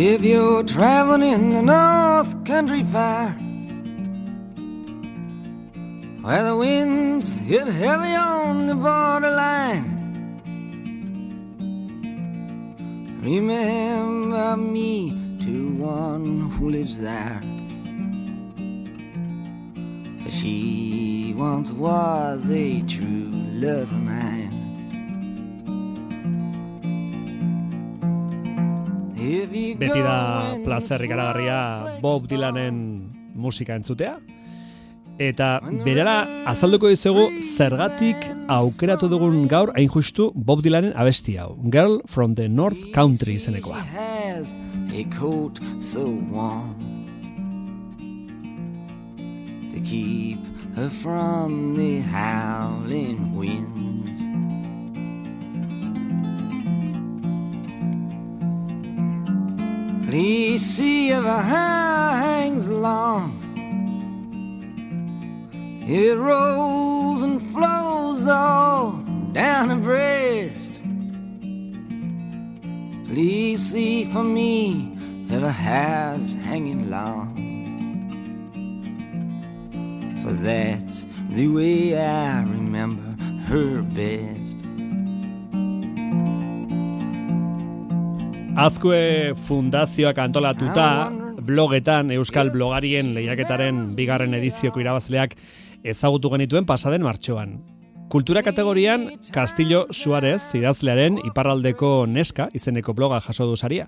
If you're traveling in the North Country Fair, where the winds hit heavy on the borderline, remember me to one who lives there, for she once was a true love of mine. Beti da plazer ikaragarria Bob Dylanen musika entzutea. Eta berela azalduko dizugu zergatik aukeratu dugun gaur hain justu Bob Dylanen abesti hau. Girl from the North Country izenekoa. A coat so warm to keep her from the howling winds. Please see if her hair hangs long, it rolls and flows all down her breast. Please see for me if her hair's hanging long, for that's the way I remember her best. Azkue Fundazioak antolatuta blogetan Euskal Blogarien lehiaketaren 2. edizioko irabazleak ezagutu genituen pasaden martxoan. Kultura kategorian Castillo Suarez idazlearen Iparraldeko Neska izeneko bloga jaso du saria.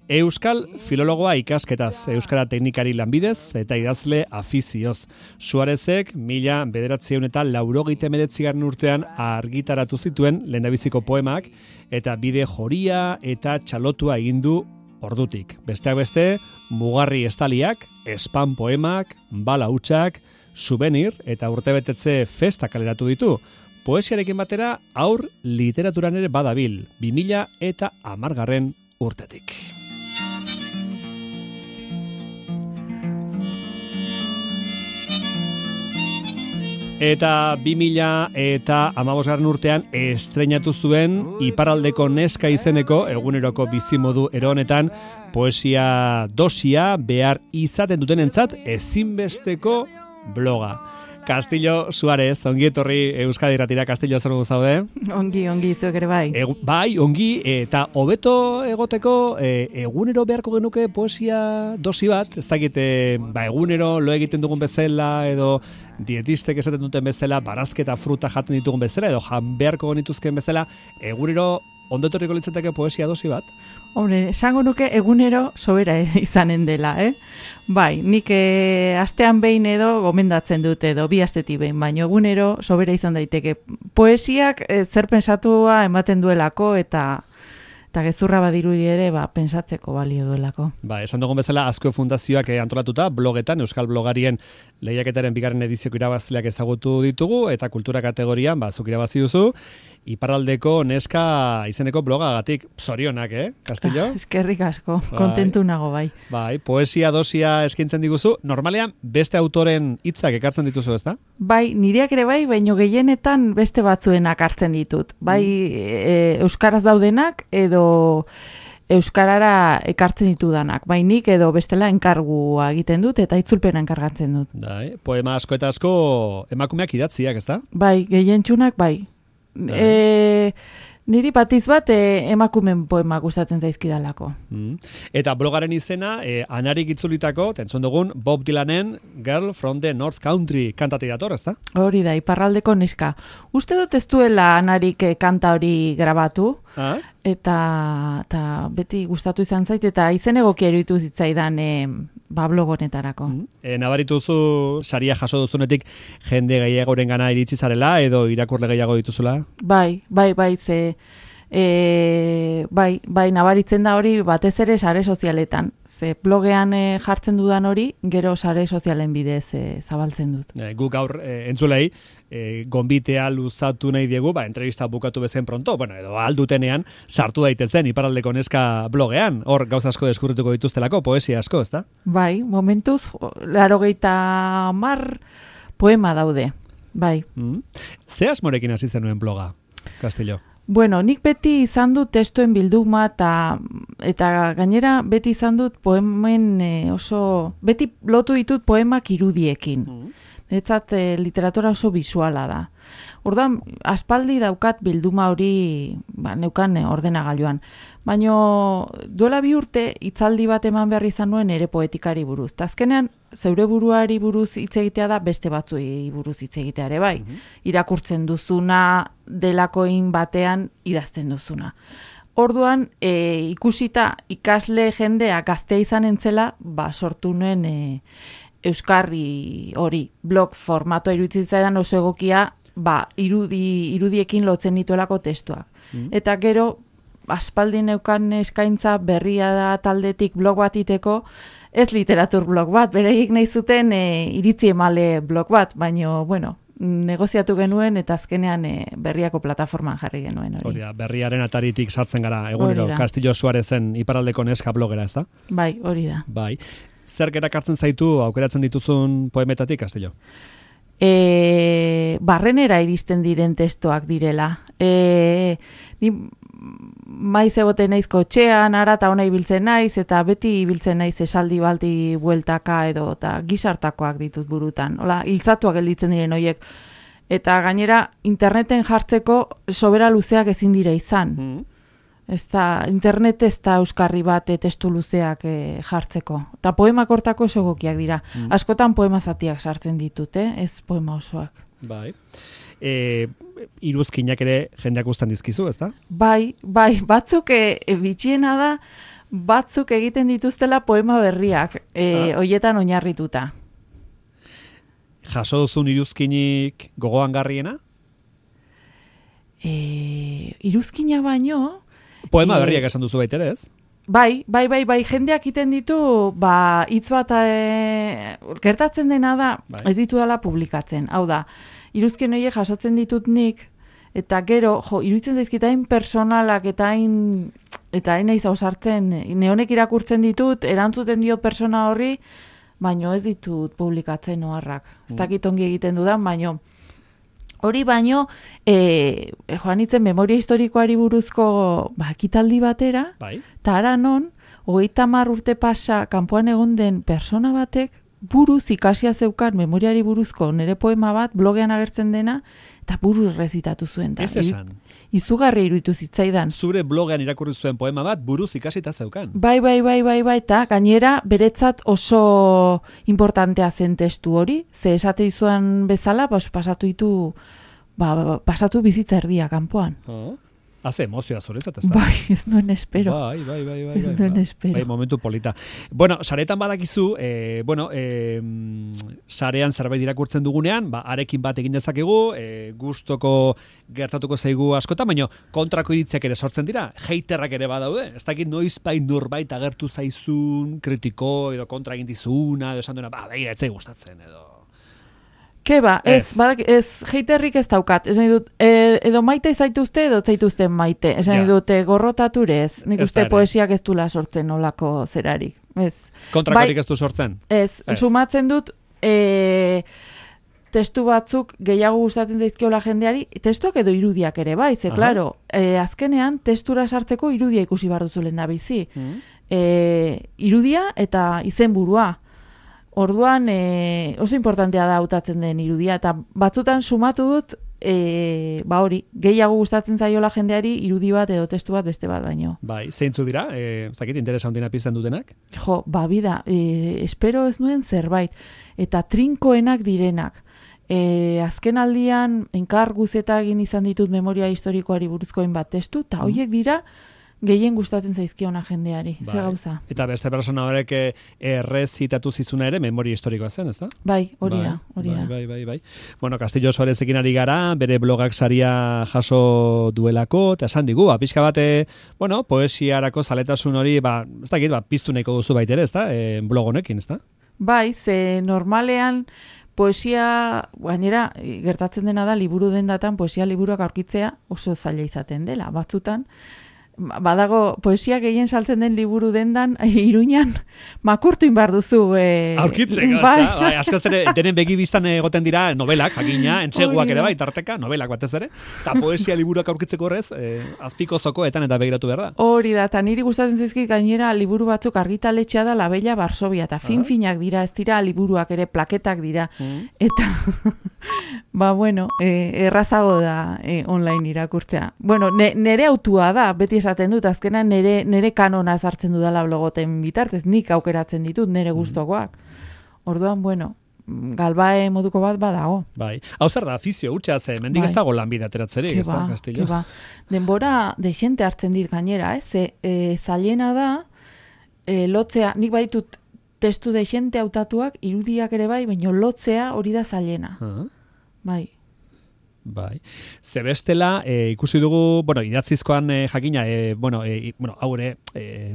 Euskal filologoa ikasketaz, euskara teknikari lanbidez eta idazle afizioz. Suarezek 1989 urtean argitaratu zituen lehendabiziko poemak eta bide joria eta txalotua egin du ordutik. Besteak beste, mugarri estaliak, espan poemak, bala hutsak, souvenir eta urtebetetze festa kaleratu ditu. Poesiarekin batera aur literaturan ere badabil, 2010 urtetik. Eta 2015 urtean estreinatu zuen Iparraldeko Neska izeneko eguneroko bizimodu ero honetan poesia dosia behar izaten dutenentzat ezinbesteko bloga. Castillo Suarez, ongi etorri Euskadi Irratira. Castillo, zer zaude? Ongi, zuek ere bai. Bai, ongi, eta hobeto egoteko egunero beharko genuke poesia dosi bat, ez dakit, egunero lo egiten dugun bezala, edo dietistek esaten duten bezala, barazketa fruta jaten ditugun bezala, edo jan beharko genituzken bezala, egunero ondo etorriko litzateke poesia dosi bat? Hombre, esango nuke egunero sobera izanen dela, Bai, nik astean behin edo gomendatzen dute edo 2 astetik behin, baina egunero sobera izan daiteke. Poesiak zer pensatua ematen duelako eta gezurra badirudi ere pentsatzeko balio duelako. Esan dugun bezala Azkue Fundazioak antolatuta blogetan Euskal Blogarien lehiaketaren 2. edizioko irabazleak ezagutu ditugu eta kultura kategorian zuk irabazi duzu Iparraldeko Neska izeneko blogagatik. Zorionak, Castillo? Eskerrik asko, kontentu nago bai. Bai, poesia dosia eskaintzen diguzu, normalean beste autoren hitzak ekartzen dituzu, ezta? Bai, nireak ere bai, baino gehienetan beste batzuenak hartzen ditut. Bai, euskaraz daudenak edo euskarara ekartzen ditudanak. Bai, nik edo bestela enkargua egiten dut eta itzulpena enkargatzen dut. Bai, poema asko eta asko emakumeak idatziak, ezta? Bai, gehientsunak bai. Niri batiz bat emakumen poema gustatzen zaizkidalako. Eta blogaren izena, anarik itzulitako, tentzun dugun, Bob Dylanen Girl from the North Country kantati dator, ezta? Hori da, Iparraldeko Neska. Uste dut ez duela anarik kanta hori grabatu, eta beti gustatu izan zait, eta izen egokia iruditu zitzaidan blogonetarako. Nabarituzu saria jaso duzunetik jende gehiagoren gana iritsi zarela edo irakurle gehiago dituzula? Bai, ze bai, nabaritzen da hori batez ere sare sozialetan. Ze blogean jartzen dudan hori, gero sare sozialen bidez zabaltzen dut. Guk gaur entzulei, gonbitea luzatu nahi diegu, entrevista bukatu bezen pronto, edo aldutenean, sartu daitezen Iparraldeko Neska blogean, hor gauza asko deskurrituko dituztelako, poesia asko, ezta? Bai, momentuz, 80 poema daude, bai. Ze asmorekin hasi zenuen bloga, Castillo? Bueno, nik beti izan dut testuen bilduma eta gainera beti izan dut poemen beti lotu ditut poemak irudiekin. Netzat literatura oso visuala da. Orduan, aspaldi daukat bilduma hori neukan ordenagailuan. Baina duela 2 urte hitzaldi bat eman behar izan nuen ere poetikari buruz. Ta azkenean, zeure buruari buruz hitz egitea da beste batzuei buruz hitz egitea ere bai. Irakurtzen duzuna, delakoin batean idazten duzuna. Orduan, ikusita ikasle jendea gaztea izan entzela, sortu nuen euskarri hori, blog formatoa iruditzen zaidan oso egokia, irudiekin lotzen dituelako testuak. Eta gero, aspaldi neukan eskaintza berria da taldetik blog bat iteko, ez literatur blog bat, bereik nahi zuten iritzi emale blog bat, baina, bueno, negoziatu genuen eta azkenean berriako plataforman jarri genuen hori. Hori da, berriaren ataritik sartzen gara, egunero, Castillo Suarezen iparraldeko neska blogera, ez da? Bai, hori da. Bai. Zerk erakartzen zaitu aukeratzen dituzun poemetatik, Castillo? Barrenera iristen diren testoak direla. Ni maiz egoten naiz kotxean, ara eta ona ibiltzen naiz, eta beti ibiltzen naiz esaldi balti bueltaka edo, eta gizartakoak ditut burutan. Hola, hiltzatuak gelditzen diren horiek. Eta gainera, interneten jartzeko sobera luzeak ezin dira izan. Internet ez da euskarri bat testu luzeak jartzeko. Eta poemak hortako oso egokiak dira. Askotan poema zatiak sartzen ditut, ez poema osoak. Bai. Iruzkinak ere jendeak ustan dizkizu, ez da? Bai, batzuk bitxiena da, batzuk egiten dituztela poema berriak, hoietan oinarrituta. Jaso duzun iruzkinik gogoan garriena? Iruzkina baino... Poema berriak esan duzu baitere, ez? Bai, jendeak iten ditu, hitz bat gertatzen dena da, ez ditu dela publikatzen. Hau da, iruzkien horiek jasotzen ditut nik, eta gero, iruditzen zaizkit hain personalak eta hain naiz ausartzen, neonek irakurtzen ditut, erantzuten diot persona horri, baino ez ditut publikatzen oharrak. Ez dakit ongi egiten dudan, baino hori baino, joan itzen memoria historikoari buruzko ekitaldi batera, eta ara non, 30 urte pasa kanpoan egon den persona batek buruz ikasia zeukan memoriari buruzko nire poema bat blogean agertzen dena, eta buruz rezitatu zuen. Ez esan. Izugarri iruditu zitzaidan. Zure blogean irakurri zuen poema bat buruz ikasita zeukan. Bai, eta gainera beretzat oso importantea zen testu hori, ze esate izuan bezala, pasatu bizitza erdia kanpoan. Haze emozioa zuretzat, ez da? Bai, ez nuen espero. Bai. Ez nuen espero. Bai, momentu polita. Bueno, saretan badakizu, sarean zerbait irakurtzen dugunean, arekin bat egin dezakegu, gustoko gertatuko zaigu askotan, baina kontrako iritziak ere sortzen dira, haterrak ere badaude. Ez dakit noizbait norbait agertu zaizun, kritiko edo kontra egin dizuna, edo esan duena, begira, etzai gustatzen, edo... Keba, ez haterrik ez daukat. Ez nahi dut, edo maite zaituzte, edo zaituzten maite. Ez nahi dut, gorrotature ez. Nik uste poesiak ez dula sortzen olako zerarik. Kontrakorik ez du sortzen? Ez, sumatzen dut, testu batzuk gehiago gustatzen zaizkiola jendeari, testuak edo irudiak ere, bai, ze, klaro, azkenean, testura sartzeko irudia ikusi behar duzu lehen da bizi. Irudia eta izenburua. Orduan oso importantea da hautatzen den irudia, eta batzutan sumatu dut, hori, gehiago gustatzen zaiola jendeari irudi bat edo testu bat beste bat baino. Bai, zeintzu dira? Ez dakit, interesa handina pizten dutenak? Bida, espero ez nuen zerbait, eta trinkoenak direnak. Azken aldian, enkar guzeta egin izan ditut memoria historikoari buruzkoen bat testu, eta horiek dira, gehien gustatzen zaizkiona jendeari, ze gauza. Eta beste persona horrek errezitatu zizuna ere memoria historikoa zen, ez da? Bai, hori da. Bai. Bueno, Castillo Suarezekin ari gara, bere blogak saria jaso duelako, eta esan digu, pixka bate, poesiarako zaletasun hori, ez dakit, piztu nahiko duzu baitere, ez da? Blog honekin, ez da? Bai, ze normalean, poesia, gainera, gertatzen dena da, liburu dendatan, poesia liburuak aurkitzea oso zaila izaten dela, batzutan, badago poesia gehien saltzen den liburu dendan Iruñan makurtu inbar duzu. Aurkitzeko, bai, askoz ere, denen begi biztan egoten dira novelak, jakina, entseguak ere bai, tarteka, novelak batez ere, eta poesia liburuak aurkitzeko horrez, azpiko zokoetan eta begiratu behar da. Hori da, eta niri gustatzen zaizkit gainera liburu batzuk argitaletxea da La Bella Varsovia, eta fin-finak dira, ez dira liburuak ere, plaketak dira, eta bueno, errazago da online irakurtzea. Bueno, nere autua da, beti esaten dut, azkenan nere kanona ezartzen dudala blogoten bitartez, nik aukeratzen ditut nere gustokoak. Orduan, bueno, galbae moduko bat badago. Bai, hau zer da, afizio, hutsa ze, mendik ez dago lanbide ateratzerik, ez da, Castillo? Denbora desente hartzen dit gainera, zailena da, lotzea, nik baitut testu desente hautatuak, irudiak ere bai, baina lotzea hori da zailena. Bai. Bai. Zebestela, ikusi dugu, bueno, idatzizkoan jakina, hau ere,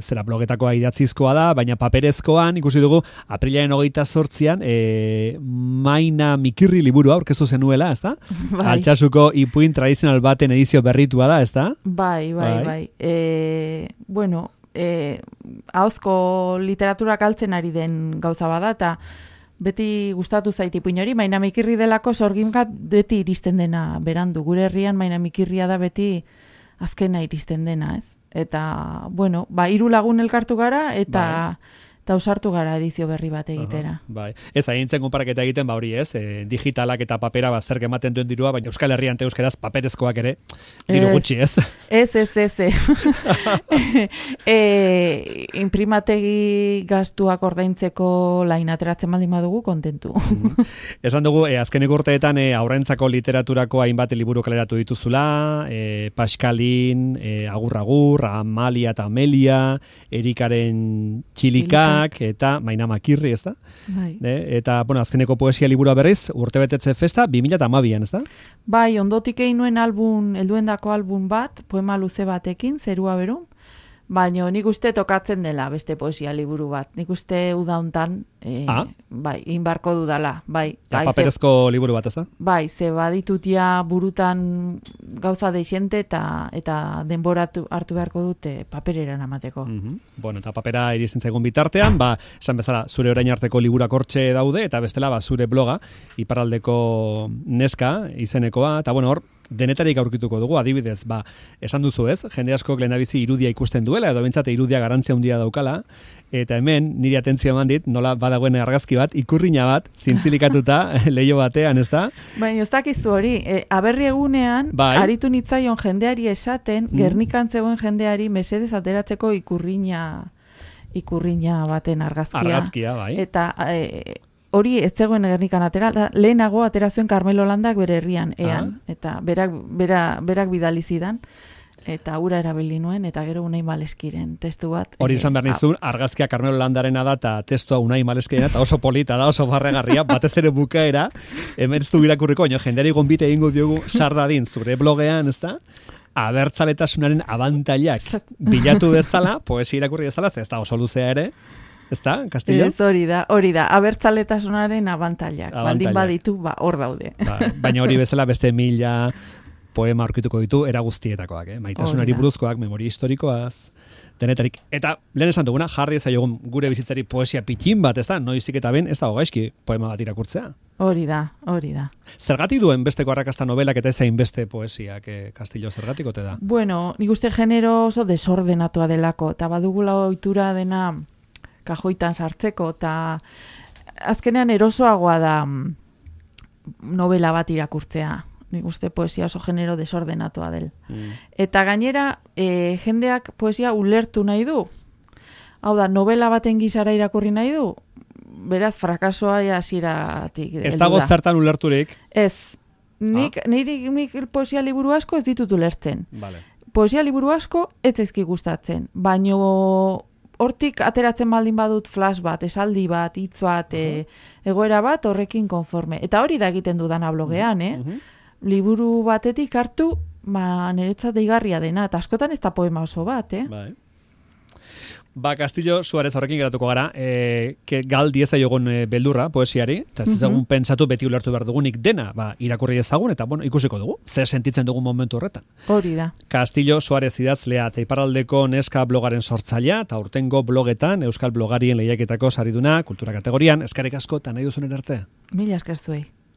zera blogetakoa idatzizkoa da, baina paperezkoan ikusi dugu, aprilaren 28an, Maina Mikirri liburua aurkeztu zenuela, ez da? Bai. Altsasuko ipuin tradizional baten edizio berritua da, ez da? Bai. Bueno, ahozko literatura kaltzen ari den gauza bada, eta beti gustatu zait ipuin hori, Maina Mikirri delako sorgimka beti iristen dena berandu. Gure herrian Maina Mikirria da beti azkena iristen dena, ez? Eta, bueno, 3 lagun elkartu gara, eta ausartu gara edizio berri bat egitera. Bai. Ez, haintzen konparaketa egiten, hori ez, digitalak eta papera zerk ematen duen dirua, baina Euskal Herrian eta euskeraz paperezkoak ere, diru gutxi, ez? Ez. Imprimategi gastuak ordaintzeko lain ateratzen baldin badugu, kontentu. Esan dugu, azkeneko urteetan aurrentzako literaturako hainbat liburu kaleratu dituzula, Paskalin, Agur, Amalia eta Amelia, Erikaren Txilika, eta Maina Makirri, ez da? Bai. Eta, bueno, azkeneko poesia liburua berriz, urtebetetze festa, 2012an, ez da? Bai, ondotik egin nuen helduendako album bat, poema luze batekin, Zerua Beru, baina nik uste tokatzen dela beste poesia liburu bat. Nik uste uda hontan, bai, inbarko dudala. Bai, paperezko liburu bat, ez da? Bai, ze baditut ja burutan gauza deixente eta denbora hartu beharko dute papereran amateko. Bueno, eta papera iritzen zaigun bitartean, esan bezala, zure orain arteko liburak hortxe daude, eta bestela, zure bloga, Iparraldeko Neska izenekoa, eta bueno, hor, denetarik aurkituko dugu, adibidez, esan duzu ez, jende askok lehendabizi irudia ikusten duela, edo bentsate irudia garantzia handia daukala, eta hemen niri atentzio eman dit, nola badagoen argazki bat, ikurrina bat, zintzilikatuta leiho batean, ez da? Baina, ez dakizu hori, aberri egunean, aritu nitzaion jendeari esaten, Gernikan zegoen jendeari mesedez ateratzeko ikurrina baten argazkia. Argazkia, bai. Eta hori ez zegoen Gernikan atera, lehenago atera zuen Carmelo Landak bere herrian, eta berak bidali zidan, eta ura erabili nuen, eta gero Unai Maleskiren testu bat. Hori izan behar nizun, argazkia Carmelo Landarena da, eta testua Unai Maleskirena, eta oso polita da, oso barregarria, batez ere bukaera, hemen ez du irakurriko, jendeari gonbite egingo diogu sardadin zure blogean, ez da? Abertzaletasunaren abantailak bilatu bezala, poesia irakurri bezala, ez da oso luzea ere, ez da, Castillo? Ez, hori da, abertzaletasunaren abantailak. Baldin baditu, hor daude. Baina hori bezala beste 1000 poema aurkituko ditu, era guztietakoak, maitasunari buruzkoak, memoria historikoaz, denetarik. Eta, lehen esan duguna, jarri ezaiogun gure bizitzari poesia pitin bat, ez da, noizik eta ben, ez da gaizki poema bat irakurtzea. Hori da. Zergatik duen besteko arrakasta novelak eta ezain beste poesiak, Castillo, zergatik ote da? Bueno, nik uste genero oso desordenatua delako, eta badugula ohitura dena kajoitan sartzeko, eta azkenean erosoagoa da novela bat irakurtzea. Nik uste poesia oso genero desordenatua del. Eta gainera, jendeak poesia ulertu nahi du. Hau da, novela baten gizara irakurri nahi du, beraz, frakasoa hasieratik. Ez dago zertan ulerturik? Ez. Nik poesia liburu asko ez ditut ulertzen. Vale. Poesia liburu asko ez zaizki gustatzen, baino hortik ateratzen baldin badut flash bat, esaldi bat, hitz bat, egoera bat, horrekin konforme. Eta hori da egiten dudana blogean, liburu batetik hartu, niretzat deigarria dena, eta askotan ez da poema oso bat, Bai. Castillo Suarez horrekin geratuko gara, gal dieza jogon beldurra, poesiari, eta ez ezagun pentsatu beti ulertu behar dugunik dena, irakurri ezagun, eta ikusiko dugu, zer sentitzen dugun momentu horretan. Hori da. Castillo Suarez idazlea, eta iparraldeko neska blogaren sortzailea, eta urtengo blogetan, Euskal Blogarien lehiaketako sariduna, kultura kategorian, eskarrik asko, eta nahi duzunen arte. Mila esker zuei.